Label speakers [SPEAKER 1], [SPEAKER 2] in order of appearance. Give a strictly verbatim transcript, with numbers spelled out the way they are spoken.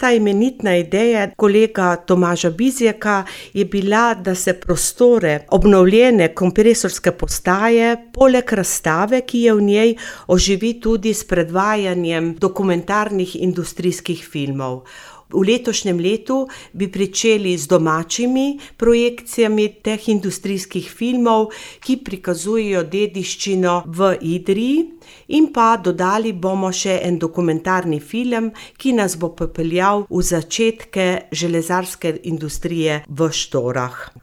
[SPEAKER 1] ta imenitna ideja kolega Tomaža Bizjaka je bila, da se prostore obnovljene kompresorske postaje poleg razstave, ki je v njej, oživi tudi s predvajanjem dokumentarnih industrijskih filmov. V letošnjem letu bi pričeli z domačimi projekcijami teh industrijskih filmov, ki prikazujejo dediščino v Idriji, in pa dodali bomo še en dokumentarni film, ki nas bo popeljal v začetke železarske industrije v Štorah.